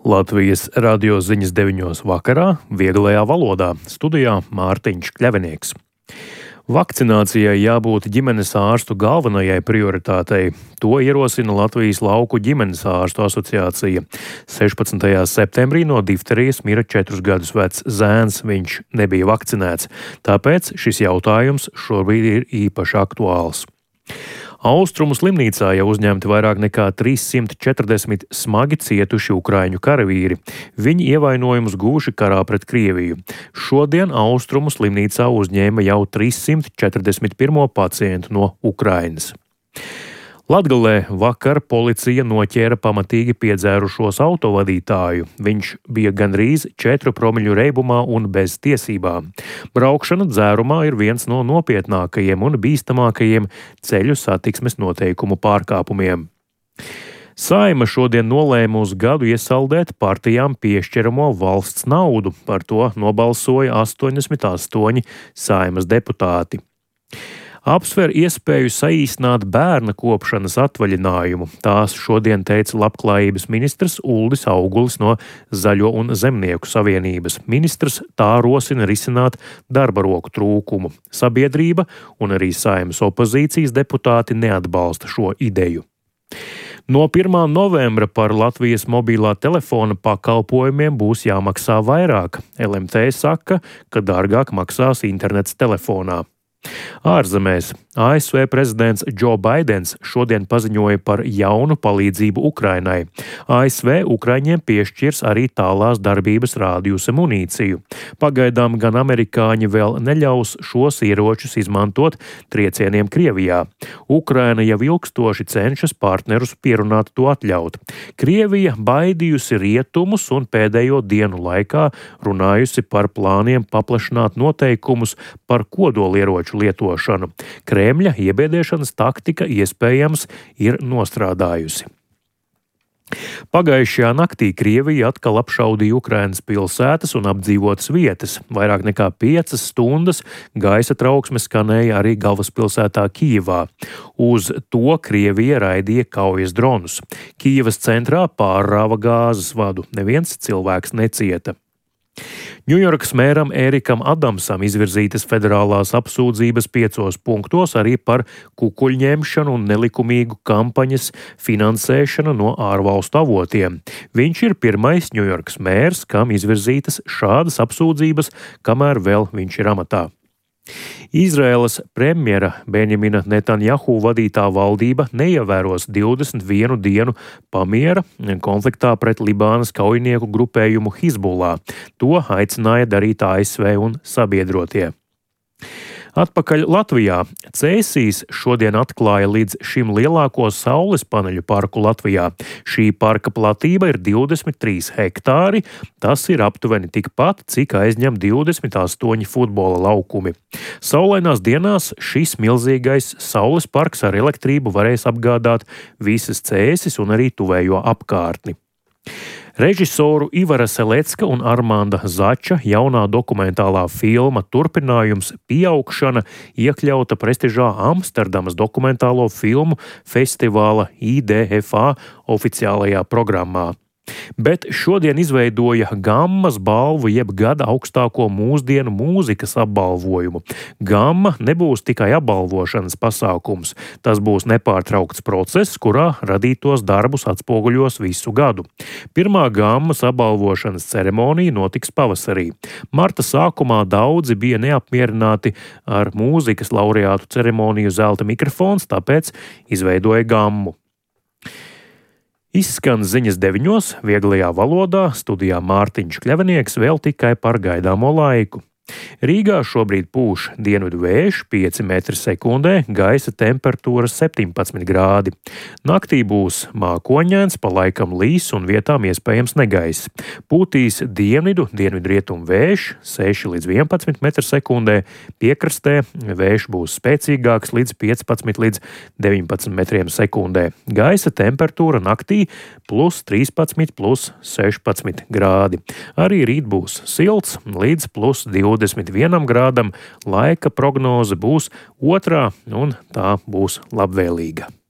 Latvijas radio ziņas 9 vakarā vieglajā valodā studijā Mārtiņš Kļavinieks. Vakcinācijai jābūt ģimenes ārstu galvenajai prioritātei. To ierosina Latvijas lauku ģimenes ārstu asociācija. 16. septembrī no difterijas mira 4 gadus vecs zēns, viņš nebija vakcinēts, tāpēc šis jautājums šobrīd ir īpaši aktuāls. Austrumu slimnīcā jau uzņemti vairāk nekā 340 smagi cietuši ukraiņu karavīri. Viņi ievainojumus guvuši karā pret Krieviju. Šodien Austrumu slimnīcā uzņēma jau 341 pacientu no Ukrainas. Latgalē vakar policija noķēra pamatīgi piedzērušos autovadītāju. Viņš bija gandrīz 4 promļu reibumā un bez tiesībām. Braukšana dzērumā ir viens no nopietnākajiem un bīstamākajiem ceļu satiksmes noteikumu pārkāpumiem. Saeima šodien nolēma uz gadu iesaldēt partijām piešķiramo valsts naudu. Par to nobalsoja 88 Saeimas deputāti. Apsver iespēju saīsināt bērna kopšanas atvaļinājumu. Tās šodien teica Labklājības ministrs Uldis Augulis no Zaļo un Zemnieku savienības. Ministrs tā rosina risināt darba roku trūkumu. Sabiedrība un arī Saeimas opozīcijas deputāti neatbalsta šo ideju. No 1. novembra par Latvijas mobilā telefona pakalpojumiem būs jāmaksā vairāk. LMT saka, ka dārgāk maksās internets telefonā. Ārzemēs ASV prezidents Džo Baidens šodien paziņoja par jaunu palīdzību Ukrainai. ASV Ukraiņiem piešķirs arī tālās darbības rādījusa munīciju. Pagaidām gan amerikāņi vēl neļaus šos ieročus izmantot triecieniem Krievijā. Ukraina jau ilgstoši cenšas partnerus pierunāt to atļaut. Krievija baidījusi rietumus un pēdējo dienu laikā runājusi par plāniem paplašināt noteikumus par kodolieroču lietošanu. Kremļa iebiedēšanas taktika iespējams ir nostrādājusi. Pagājušajā naktī Krievija atkal apšaudīja Ukrainas pilsētas un apdzīvotas vietas. Vairāk nekā 5 stundas gaisa trauksme skanēja arī galvaspilsētā Kijevā. Uz to Krievija raidīja kaujas dronus. Kijevas centrā pārrāva gāzes vadu. Neviens cilvēks necieta. Ņujorkas mēram Ērikam Adamsam izvirzītas federālās apsūdzības 5 punktos arī par kukuļņemšanu un nelikumīgu kampaņas finansēšanu no ārvalstu avotiem. Viņš ir pirmais Ņujorkas mērs, kam izvirzītas šādas apsūdzības, kamēr vēl viņš ir amatā. Izraēlas premjera Benjamina Netanjahu vadītā valdība neievēros 21 dienu pamiera konfliktā pret Libānas kaujinieku grupējumu Hizbullah. To aicināja darīt ASV un sabiedrotie. Atpakaļ Latvijā. Cēsīs šodien atklāja līdz šim lielāko saules paneļu parku Latvijā. Šī parka platība ir 23 hektāri, tas ir aptuveni tikpat, cik aizņem 28 futbola laukumi. Saulainās dienās šis milzīgais saules parks ar elektrību varēs apgādāt visas Cēsis un arī tuvējo apkārtni. Režisoru Ivara Selecka un Armanda Zača jaunā dokumentālā filma turpinājums Pieaugšana iekļauta prestižā Amsterdamas dokumentālo filmu festivāla IDFA oficiālajā programmā. Bet šodien izveidoja Gammas balvu jeb gada augstāko mūsdienu mūzikas apbalvojumu. Gamma nebūs tikai apbalvošanas pasākums. Tas būs nepārtraukts process, kurā radītos darbus atspoguļos visu gadu. Pirmā Gammas apbalvošanas ceremonija notiks pavasarī. Marta sākumā daudzi bija neapmierināti ar mūzikas laureātu ceremoniju Zelta mikrofons, tāpēc izveidoja Gammu. Izskan ziņas 9 vieglajā valodā, studijā Mārtiņš Kļavinieks vēl tikai par gaidāmo laiku. Rīgā šobrīd pūš dienvidu vējš 5 m/sekundē, gaisa temperatūra 17 grādi. Naktī būs mākoņains, pa laikam līs un vietām iespējams negaiss. Pūtīs dienvidu-rietumu vējš 6 līdz 11 m/sekundē, piekrastē vējš būs spēcīgāks līdz 15 līdz 19 m/sekundē. Gaisa temperatūra naktī +13, +16 grādi. Arī rīt būs silts līdz +21 grādam, laika prognoze būs otrā un tā būs labvēlīga.